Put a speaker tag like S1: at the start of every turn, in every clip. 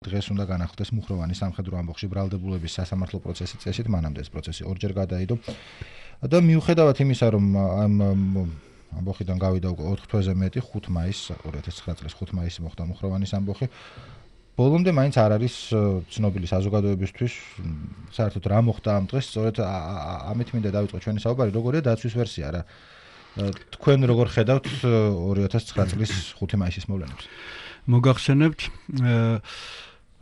S1: დღეს უნდა განახლდეს მუხროვანი სამხედრო ამბოხში ბრალდებულების სასამართლო პროცესის წესით, მანამდე ეს პროცესი ორჯერ გადაიდო. და მიუხედავად იმისა, რომ ამ ამბოხიდან გავიდა უკვე 4 თვეზე მეტი, 5 მაისს 2009 წლის 5 მაისს მოხდა მუხროვანის ამბოხი. ბოლომდე მაინც არ არის ცნობილი საზოგადოებისთვის საერთოდ რა მოხდა ამ დღეს, სწორედ ამით მინდა დავიწყო ჩვენი საუბარი, როგორია დაცვის ვერსია რა. თქვენ როგორ ხედავთ 2009 წლის 5 მაისის მოვლენებს?
S2: მოგახსენებთ,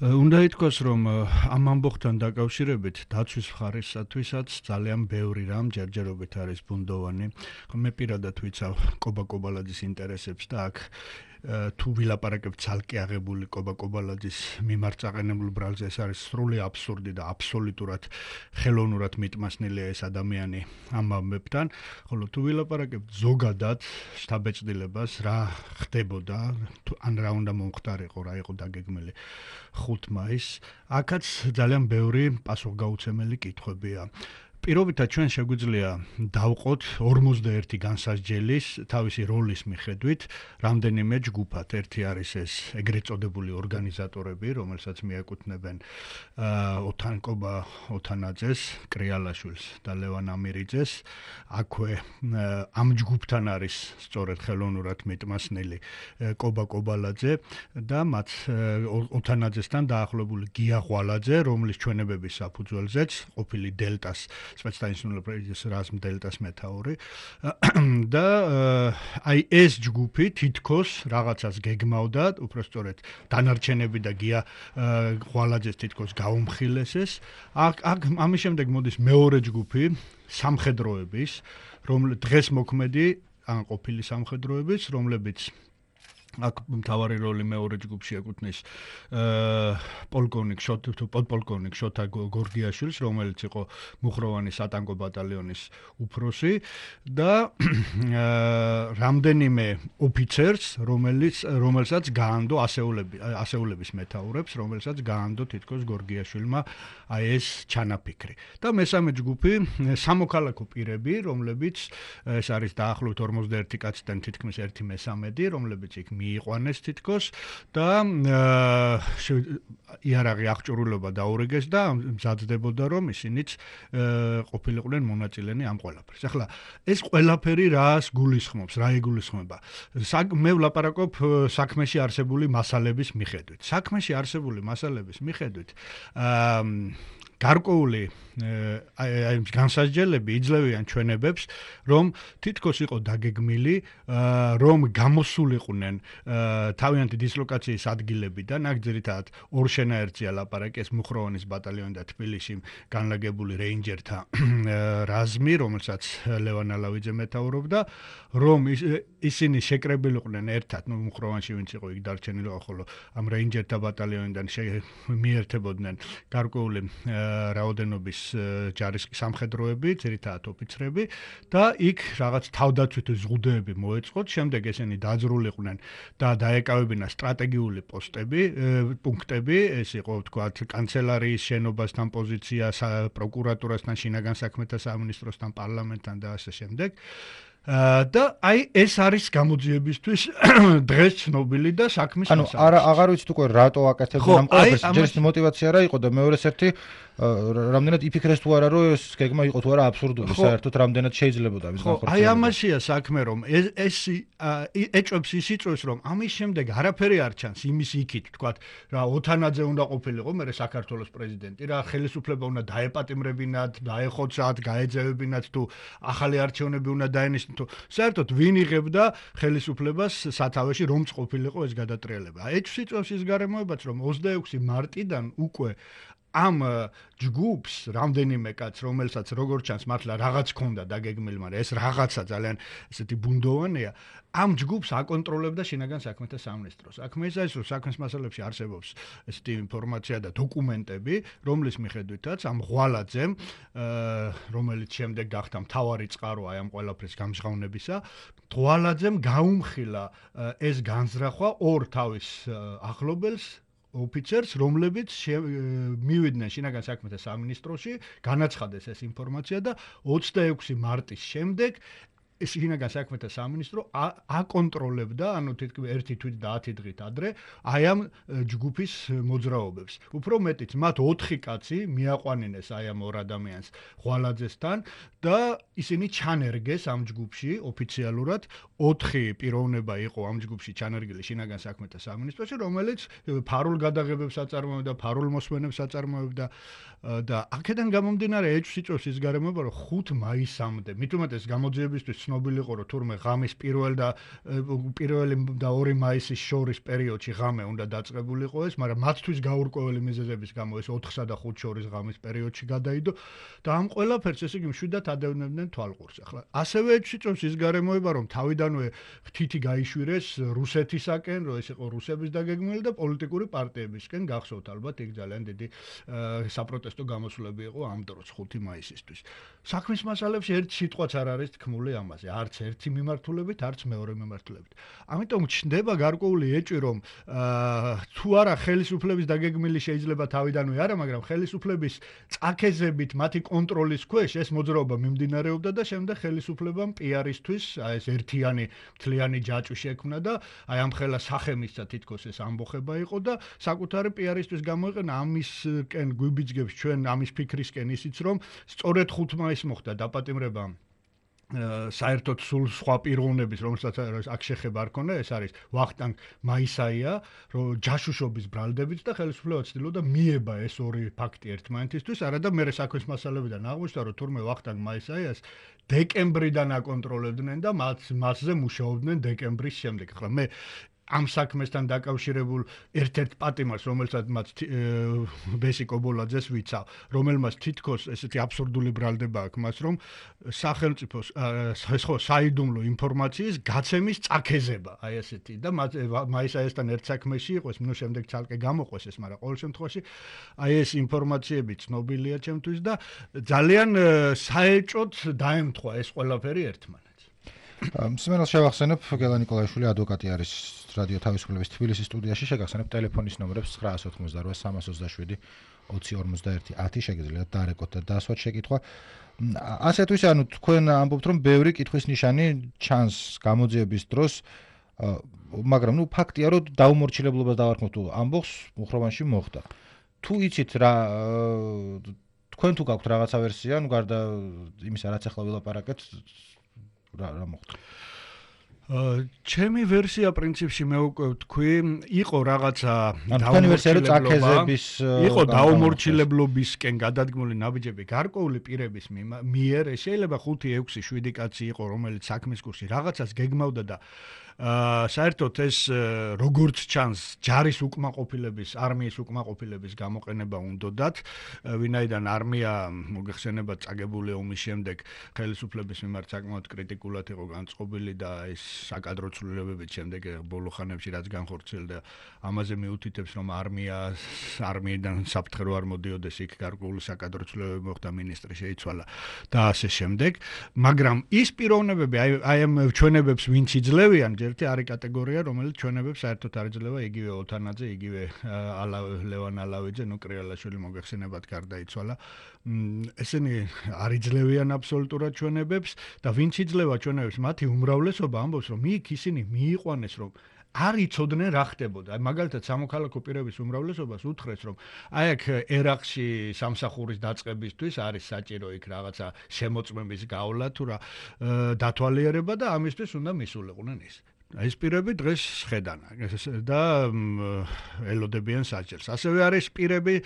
S2: უნდა ითქვას, რომ ამ ამბოხთან დაკავშირებით დაცვის მხარისთვისაც ძალიან ბევრი რამ ჯერჯერობით არის ბუნდოვანი. მე პირადად ვიცავ კობა კობალაძის ინტერესებს და აქ თუ ვილაპარაკებ ცალკე აღებული კობა კობალაძის მიმართ წაყენებულ ბრალზე, ეს არის სრული აბსურდი და აბსოლუტურად ხელოვნურად მიტმასნილია ეს ადამიანი ამ ამბებთან, ხოლო თუ ვილაპარაკებ ზოგადად შთაბეჭდილებას რა ხდებოდა, ან რა უნდა მომხდარიყო, რა იყო დაგეგმილი 5 მაისს, აქაც ძალიან ბევრი პასუხგაუცემელი კითხვებია. პირობითად ჩვენ შეგვიძლია დავყოთ 51 განსასჯელის თავისი როლის მიხედვით რამდენიმე ჯგუფად. ერთი არის ეს ეგრეთ წოდებული ორგანიზატორები, რომელსაც მიაკუთვნებენ ოთანკობა ოთანაძეს, კრიალაშვილს და ლევან ამირიძეს. აქვე ამ ჯგუფთან არის სწორედ ხელოვნურად მიტმასნილი კობა კობალაძე და მათ ოთანაძესთან დაახლოებული გია ღვალაძე, რომლის ჩვენებების საფუძველზეც ყოფილი დელტას სპეცდანიშნულების რაზმ დელტას მეთაური და აი ეს ჯგუფი თითქოს რაღაცას გეგმავდა, უпростоრეთ დანარჩენები და გია ღვალაძეს თითქოს გაუმხილესეს. აქ ამის შემდეგ მოდის მეორე ჯგუფი სამხედროების, რომლის დღეს მოქმედი ან ყოფილი სამხედროების, რომლებიც აქ მთავარი როლი მეორე ჯგუფში ეკუთვნის პოლკოვნიკ შოთა გორგიაშვილს, რომელიც იყო მუხროვანის სატანკო ბატალიონის უფროსი და რამდენიმე ოფიცერს, რომელსაც გაანდო ასეულების მეთაურებს, რომელსაც გაანდო თითქოს გორგიაშვილმა აი ეს ჩანაფიქრი. და მესამე ჯგუფი სამოქალაქო პირები, რომლებიც ეს არის დაახლოებით 51 კაციდან თითქმის 1/3, რომლებიც იქ მიიყვანეს თითქოს და იარაღი აღჭურვილობა დაურიგეს და მზადდებოდა, რომ ისინიც ყოფილიყვნენ მონაწილენი ამ ყველაფერს. ახლა ეს ყველაფერი რას გულისხმობს, რა იგულისხმება? მე ვლაპარაკობ საქმეში არსებული მასალების მიხედვით. საქმეში არსებული მასალების მიხედვით გარკვეული აი განსასჯელები იძლევიან ჩვენებებს, რომ თითქოს იყო დაგეგმილი, რომ გამოსულიყვნენ თავიანთი დისლოკაციის ადგილებიდან, აქ ძირითადად ორ შენაერთზეა ლაპარაკი, ეს მუხროვანის ბატალიონი და თბილისში განლაგებული რეინჯერთა რაზმი, რომელსაც ლევან ალავიძე მეთაურობდა, რომ ისინი შეკრებილიყვნენ ერთად, მუხროვანში ვინც იყო იქ დარჩენილი, ხოლო ამ რეინჯერთა ბატალიონიდან მიერთებოდნენ გარკვეული რაოდენობის ჯარისკი სამხედროები, ძირითადად ოფიცრები და იქ რაღაც თავდაცვითი ზღუდეები მოეწყოთ, შემდეგ ესენი დაძრულიყვნენ და დაეკავებინა სტრატეგიული პუნქტები, ეს იყო თქვათ კანცელარიის შენობასთან პოზიცია, პროკურატურასთან, შინაგან საქმეთა სამინისტროსთან, პარლამენტთან და ასე შემდეგ. და აი ეს არის გამოძიებისთვის დღეს ცნობილი და საქმის
S1: მასალა. ანუ აღარ ვიცით უკვე რატო აკეთებდნენ ამ ყველაფერს, ჯერის мотиваცია რა იყო და მეორეს ერთი რამდენად იფიქრეს თუ არა, რომ ეს გეგმა იყო თუ არა აბსურდული, საერთოდ რამდენად შეიძლებოდა მის განხორციელება.
S2: აი ამაშია საქმე, რომ ეს ეჭვებს ის იწვევს, რომ ამის შემდეგ არაფერი არ ჩანს იმის იქით, თქვათ, რა ოთანაძე უნდა ყოფილიყო მე საქართველოს პრეზიდენტი, რა ხელისუფლება უნდა დაეპატიმრებინათ, დაეხოცათ, გაეძევებინათ თუ ახალი არჩევნები უნდა დაენიშნათ. საერთოდ ვინ იღებდა ხელისუფლებას სათავეში, რომც ყოფილიყო ეს გადატრიალება. ეჭვს იწვევს ის გარემოებაც, რომ 26 მარტიდან უკვე ამ ჯგუფს რამდენიმე კაც, რომელსაც როგორც ჩანს მართლა რაღაც ქონდა დაგეგმილი, მაგრამ ეს რაღაცა ძალიან ესეთი ბუნდოვანია, ამ ჯგუფს აკონტროლებდა შინაგან საქმეთა სამინისტროს. აქ მეზაის რომ საქმის მასალებში არსებობს ესეთი ინფორმაცია და დოკუმენტები, რომლის მიხედვითაც ამ ღვალაძემ, რომელიც შემდეგ გახდა მთავარი წყარო აი ამ ყველაფრის გამჟღავნებისა, ღვალაძემ გაუმხილა ეს განზრახვა ორ თავის ახლობელს ოფიცერს, რომლებიც მივიდნენ შინაგან საქმეთა სამინისტროში, განაცხადეს ეს ინფორმაცია და 26 მარტის შემდეგ შინაგან საქმეთა სამინისტრო აკონტროლებდა, ანუ თითქმის 1 თვით და 10 დღით ადრე აი ამ ჯგუფის მოძრაობებს. უფრო მეტიც, მათ 4 კაცი მიაყვანინეს აი ამ ორ ადამიანს ღვალაძესთან და ისინი ჩანერგეს ამ ჯგუფში ოფიციალურად. 4 პიროვნება იყო ამ ჯგუფში ჩანერგილი შინაგან საქმეთა სამინისტროში, რომელიც ფარულ გადაღებებს აწარმოებდა, ფარულ მოსმენებს აწარმოებდა და აქედან გამომდინარე ეჭვს იწვევს ის გარემოება, რომ 5 მაისამდე, მით უმეტეს გამოძიებისთვის ცნობილი იყო, რომ თურმე ღამის 1 და 2 მაისის შორის პერიოდში ღამე უნდა დაწყებულიყო ეს, მაგრამ მათთვის გაურკვეველი მიზეზების გამო ეს 4-სა და 5 შორის ღამის პერიოდში გადაიდო და ამ ყველაფერს ესე იგი მშვიდად ადევნებდნენ თვალყურს. ახლა ასევე ეჭვს იწვევს ის გარემოება, რომ თავიდანვე ფრთითი გაიშვირეს რუსეთისაკენ, რომ ეს იყო რუსების დაგეგმილი და პოლიტიკური პარტიებისკენ, გახსოვთ ალბათ, იქ ძალიან დიდი საპროტესტო გამოსვლები იყო ამ დროს 5 მაისისთვის. საქმის მასალებში ერთ სიტყვაც არ არის თქმული ამაზე, არც ერთი მიმართულებით, არც მეორე მიმართულებით. ამიტომ ჩნდება გარკვეული ეჭვი, რომ თუ არა ხელისუფლების დაგეგმილი შეიძლება თავიდანვე არა, მაგრამ ხელისუფლების წაქეზებით მათი კონტროლის ქვეშ ეს მოძრაობა მიმდინარეობდა და შემდეგ ხელისუფლებამ პიარისთვის ეს ერთიანი მთლიანი ჯაჭვი შექმნა და აი ამ ხელა სახემისა თითქოს ეს ამბოხება იყო და საკუთარი პიარისთვის გამოიყენა ამისკენ გვიბიძგებს ჩვენ ამის ფიქრისკენ ისიც რომ სწორედ 5 მაისს მოხდა დაპატიმრება საერთოდ სულ სხვა პიროვნების, რომელსაც აქ შეხება არ ქონდა, ეს არის ვახტანგ მაისაია, რომ ჯაშუშობის ბრალდებით და ხელისუფლება ცდილობდა მიება ეს ორი ფაქტი ერთმანეთისთვის, არადა მე საქმის მასალებიდან აღმოჩნდა, რომ თურმე ვახტანგ მაისაიას დეკემბრიდან აკონტროლებდნენ და მასზე მუშაობდნენ დეკემბრის შემდეგ. ახლა მე ამ საქმესთან დაკავშირებულ ერთ-ერთ პატიმარს, რომელსაც მათ ბესი კობოლაძეს ვიცავ, რომელმაც თითქოს ესეთი აბსურდული ბრალდება აქვს მას, რომ სახელმწიფოს საიდუმლო ინფორმაციის გაცემის წაქეზება, აი ესეთი და მაისაიასთან ერთ საქმეში იყო, ნუ შემდეგ ცალკე გამოყვეს ეს, მაგრამ ყოველ შემთხვევაში აი ეს ინფორმაციები ცნობილია ჩემთვის და ძალიან საეჭვოდ დაემთხვა ეს ყველაფერი ერთმანეთს.
S1: მსმენელს შევახსენებ, გელა ნიკოლაიშვილი ადვოკატი არის რადიო თავისუფლების თბილისის სტუდიაში, შეგახსენებ ტელეფონის ნომრებს 988 20 50 შეგიძლიათ დარეკოთ და დასვათ შეკითხვა. ასე თუ ისე, ანუ თქვენ ამბობთ, რომ ბევრი კითხვის ნიშანი ჩანს გამოძიების დროს, მაგრამ ნუ ფაქტია, რომ დაუმორჩილებლობას დავარქმევთ ამბობს მუხროვანში მოხდა. თუ იცით რა თქვენ თუ გაქვთ რაღაცა ვერსია, ნუ გარდა იმისა, რაც ახლა ვილაპარაკეთ, რა მოხდა?
S2: ჩემი ვერსია პრინციპში მე უკვე ვთქვი, იყო რაღაცა დაუმორჩილებლობისკენ გადადგმული ნაბიჯები გარკვეული პირების მიერ, შეიძლება 5-6-7 კაცი იყო, რომელიც საქმის კურსი რაღაცას გეგმავდა და საერთოდ ეს როგორც ჩანს ჯარის უკმაყოფილების, არმიის უკმაყოფილების გამოყენება უნდათ, ვინაიდან არმია მოგეხსენება წაგებული ომის შემდეგ ხელისუფლების მიმართ საკმაოდ კრიტიკულად იყო განწყობილი და ეს საკადრო ცვლილებებით შემდეგ ბოლო ხანებში რაც განხორციელდა, ამაზე მიუთითებს, რომ არმიიდან საფრთხე არ მოდიოდეს, იქ გარკვეული საკადრო ცვლილებები მოხდა, მინისტრი შეიცვალა და ასე შემდეგ, მაგრამ ის პიროვნებები, აი ამ ჩვენებებს ვინც იძლევიან ერთი არის კატეგორია, რომელიც ჩვენებებს საერთოდ არ იძლევა, იგივე ოთანაძე, იგივე ლევან ალავიძე, ნუ კრიალაშვილი მოგეხსენებათ გარდაიცვალა. ესენი არ იძლევიან აბსოლუტურად ჩვენებებს და ვინც იძლევა ჩვენებებს, მათი უმრავლესობა ამბობს, რომ იქ ისინი მიიყვანეს, რომ არ იცოდნენ რა ხდებოდა. აი მაგალითად სამოქალაქო პირების უმრავლესობას უთხრეს, რომ აი აქ ერაყში სამსახურის დაწყებისთვის არის საჭირო იქ რაღაცა შემოწმების გავლა თუ რა დათვალიერება და ამისთვის უნდა მისულიყვნენ ის. ეს პირები დღეს შედან და ელოდებიან საჭირს. ასევე არის პირები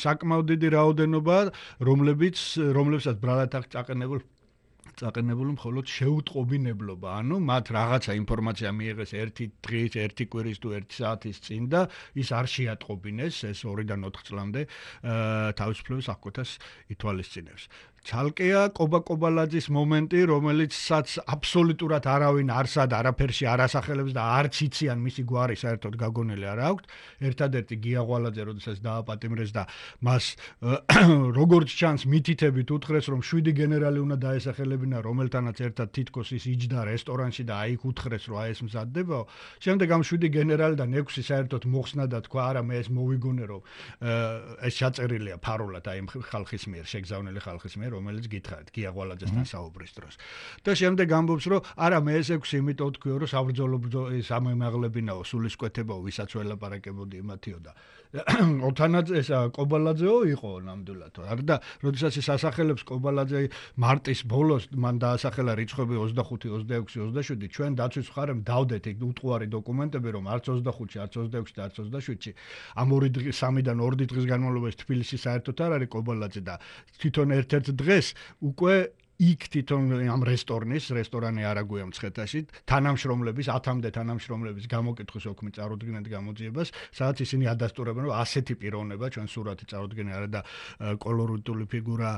S2: საკმაოდ დიდი რაოდენობა, რომლებსაც ბრალად აქვს წაყენებული მხოლოდ შეუტყობინებლობა, ანუ მათ რაღაცა ინფორმაცია მიიღეს 1 დღის, 1 კვირის თუ 1 საათის წინ და ის არ შეატყობინეს ეს 2-დან 4 წლამდე თავისუფლების აღკვეთას ითვალისწინებს. ცალკეა კობაკობალაძის მომენტი, რომელიცაც აბსოლუტურად არავინ არსად არაფერში არ ასახელებს და არც იციან მისი გვარი საერთოდ გაგონილი არ აქვს. ერთადერთი გია ღვალაძე, როდესაც დააპატიმრეს და მას როგორც ჩანს მითითებით უთხრეს, რომ 7 გენერალი უნდა დაესახელებინა, რომელთანაც ერთად თითქოს ის იჯდა რესტორანში და აიქ უთხრეს, რომ აი ეს მზადდებაო. შემდეგ ამ 7 გენერალიდან 6 საერთოდ მოხსნა და თქვა, არა მე ეს მოვიგონე, რომ ეს ჩაწერილია ფარულად აი ხალხის მიერ, შეგზავნილი ხალხის მიერ. რომელიც გითხარით გია გვალაძესთან საუბრის დროს. და შემდეგ ამბობს, რომ არა მე ეს 6 იმიტომ თქვიო, რომ საბრძოლო სამემაღლებინაო, სულისკვეთებაო, ვისაც ველაპარაკებოდი იმათიო და ოთანაძე ეს კობალაძეო იყო ნამდვილად. და როდესაც ის ასახელებს კობალაძე მარტის ბოლოს მან დაასახელა რიცხვები 25, 26, 27, ჩვენ დაცვის მხარემ დავდეთ ეგ უტყუარი დოკუმენტები, რომ არც 25-ში, არც 26-ში და არც 27-ში ამ 3-დან 2 დღის განმავლობაში თბილისში საერთოდ არ არის კობალაძე და თვითონ ერთ-ერთ დღეს უკვე იქ თვითონ ამ რესტორანი არაგუია მცხეთაში თანამშრომლების 10-მდე თანამშრომლების გამოკითხვის ოქმი წარუდგინეთ გამოძიებას, სადაც ისინი ადასტურებენ, რომ ასეთი პიროვნება ჩვენ სურათი წარუდგენია არა და კოლორიტული ფიგურა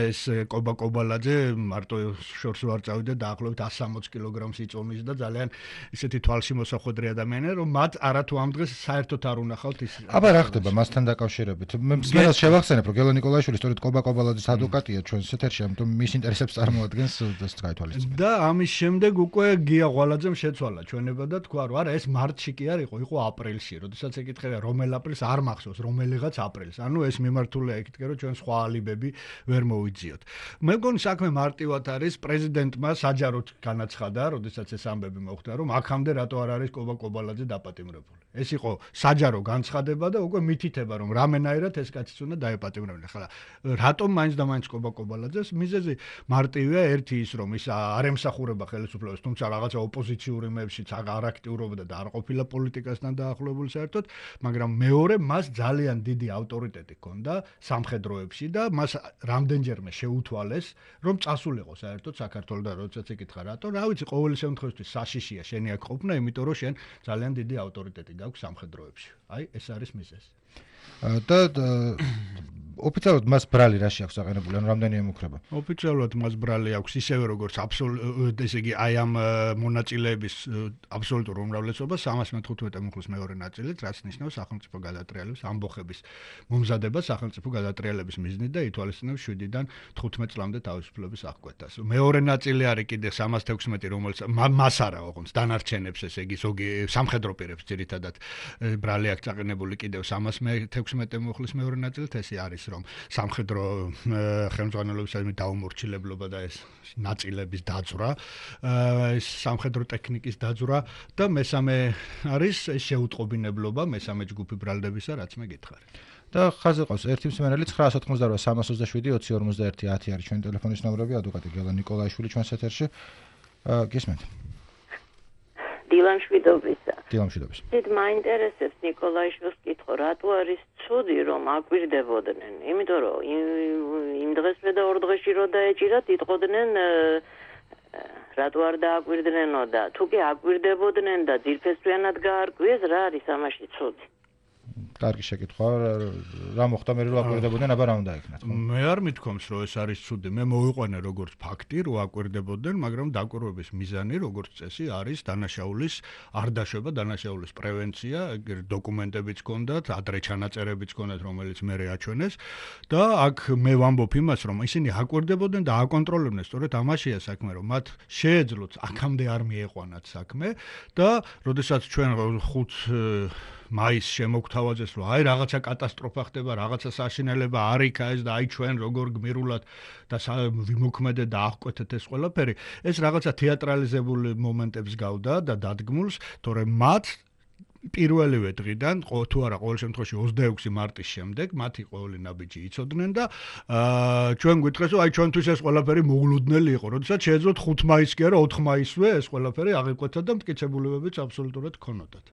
S2: ეს კობალაძე მარტო შორს ვარ წავიდა დაახლოებით 160 კილოგრამს იწონის და ძალიან ისეთი თვალში მოსახვედრი ადამიანია, რომ მათ არათუ ამ დღეს საერთოდ არ უნახავთ ის.
S1: აბა რა ხდება მასთან დაკავშირებით? მე მსმენელს შევახსენებ, რომ გელო ნიკოლაიშვილი სწორედ კობალაძის ადვოკატია ჩვენს ეთერში, ამიტომ მის ინტერესებს წარმოადგენს ეს გაითვალისწინეთ.
S2: და ამის შემდეგ უკვე გია გვალაძემ შეცვალა ჩვენება და თქვა, რომ არა ეს მარტში კი არ იყო აპრილში, როდესაც ეკითხება რომელ აპრილს არ მახსოვს, რომელიღაც აპრილს. ანუ ეს მიმართულია ეკითხება, რომ ჩვენ სხვა ალიბები ვერ მოვიძიოთ. მე მგონი საქმე მარტივად არის, პრეზიდენტმა საჯაროდ განაცხადა, როდესაც ეს ამბები მოხდა, რომ აქამდე რატო არ არის კობალაძე დაპატიმრებული. ეს იყო საჯარო განცხადება და უკვე მითითება, რომ რამენაირად ეს კაციც უნდა დაეპატიმრებინა. ხლა რატომ მაინც და მაინც კობალაძეს მიზეზი მარტივია ერთი ის, რომ ის არ ემსახურება ხელისუფლებას, თუმცა რაღაცა ოპოზიციური მეებშიც არ აქტიურობდა და არ ყოფილა პოლიტიკასთან დაახლოებული საერთოდ, მაგრამ მეორე მას ძალიან დიდი ავტორიტეტი ჰქონდა სამხედროებში და მას რამდენჯერმე შეუთვალეს, რომ წასულიყო საერთოდ საქართველოს და როდესაც ეკითხა რატო, რა ვიცი, ყოველი შემთხვევაში საშიშია შენი აქ ყოფნა, იმიტომ რომ შენ ძალიან დიდი ავტორიტეტი გაქვს სამხედროებში. აი, ეს არის მიზეზი.
S1: და ოფიციალურად მას ბრალი რაში აქვს აყენებული, ანუ რამდენი ემუქრება?
S2: ოფიციალურად მას ბრალი აქვს ისევე როგორც ესე იგი აი ამ მონაწილეების აბსოლუტურ უმრავლესობას 315 ემუქრის მეორე ნაწილით, რაც ნიშნავს სახელმწიფო გადატრიალების ამბოხების მომზადება სახელმწიფო გადატრიალების მიზნით და ითვალისწინებს 7-დან 15 წლამდე თავისუფლების აღკვეთას. მეორე ნაწილი არის კიდე 316, რომელიც მას არა ოღონდ დანარჩენებს, ესე იგი ზოგი სამხედრო პირებს ძირითადად ბრალი აქვს აყენებული კიდევ 316 ემუქრის მეორე ნაწილით, ესე არის რომ სამხედრო ხელმძღვანელობისადმი დაუმორჩილებლობა და ეს ნაწილების დაძვრა, ეს სამხედრო ტექნიკის დაძვრა და მესამე არის ეს შეუტყობინებლობა მესამე ჯგუფი ბრალდებისა, რაც მე გითხარი.
S1: და ხაზზე ყავს ერთი მსმენელი 988 327 20 51 10 არის ჩვენი ტელეფონის ნომრები, ადვოკატი გელო ნიკოლაიშვილი ჩვენს ეთერში. გისმენთ?
S3: დილამშვიდობისა.
S1: დილამშვიდობის.
S3: დიდ მაინტერესებს ნიკოლაიშვილს კითხო, რატო არის ცუდი რომ აკვირდებოდნენ? იმიტომ რომ იმ დღესვე და ორ დღეში რო დაეჭირათ, იტყოდნენ რატო არ დააკვირდნენო და თუ კი აკვირდებოდნენ და ძირფესვიანად გაარკვიეს, რა არის ამაში ცუდი?
S1: კარგი შეკითხვა, რა მოხდა მე რომ აკვირდებოდნენ, აბა რა უნდა ეკნათ?
S2: მე არ მithkoms რომ ეს არის ცუდი. მე მოვიყვანე როგორც ფაქტი, რომ აკვირდებოდნენ, მაგრამ დაკვირვების მიზანი როგორც წესი არის დანაშაულის არ დაშვება, დანაშაულის პრევენცია, დოკუმენტებიც ჰქონდათ, ადრე ჩანაწერებიც ჰქონდათ, რომელიც მე აჩვენეს და აქ მე ვამბობ იმას, რომ ისინი აკვირდებოდნენ და აკონტროლებდნენ, სწორედ ამაშია საქმე, რომ მათ შეეძლოთ აქამდე არ მიეყვანათ საქმე და როდესაც ჩვენ 5 მაისს შემოგთავაზეს, რომ აი რაღაცა კატასტროფა ხდება, რაღაცა საშინელება არ იქა ეს და აი ჩვენ როგორ გმირულად და ვიმოქმედეთ და აღკვეთეთ ეს ყველაფერი, ეს რაღაცა თეატრალიზებული მომენტებს გავდა და დადგმულს, თორემ მათ პირველივე დღიდან, თუ არა ყოველ შემთხვევაში 26 მარტის შემდეგ, მათი ყოველი ნაბიჯი იცოდნენ და ჩვენ გვითხეს, რომ აი ჩვენთვის ეს ყველაფერი მოულოდნელი იყო, როდესაც შეეძლოთ 5 მაისს კი არა 4 მაისვე ეს ყველაფერი აღიკვეთა და მტკიცებულებებიც აბსოლუტურად ჰქონოდათ.